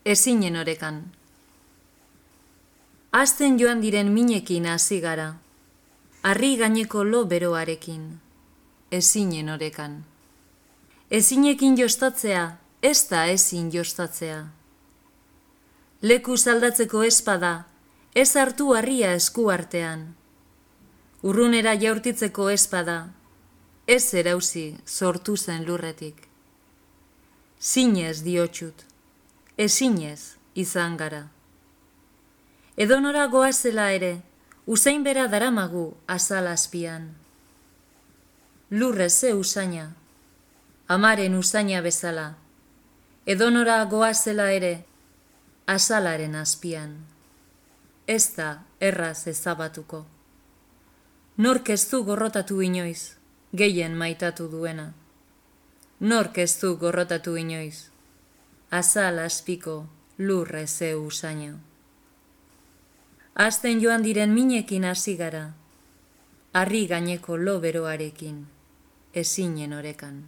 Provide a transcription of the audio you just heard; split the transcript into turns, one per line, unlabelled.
Ezinen orekan. Hazten joan diren minekin hasi gara, harri gaineko lo beroarekin, ezinen orekan. Ezinekin jostatzea, ez da ezin jostatzea. Leku aldatzeko espada, ez hartu harria esku artean. Urrunera jaurtitzeko espada, ez erauzi sortu zen lurretik. Zinez diotxut, ezinez izan gara. Edonora goazela ere, usain bera daramagu azal azpian. Lurre ze usaina, amaren usaina bezala, edonora goazela ere, azalaren azpian. Ez da erraz ezabatuko. Nork ez du gorrotatu inoiz, gehien maitatu duena. Nork ez du gorrotatu inoiz, azal azpiko lurre ze usaina. Hazten joan diren minekin hasi gara, harri gaineko lo beroarekin, ezinen orekan.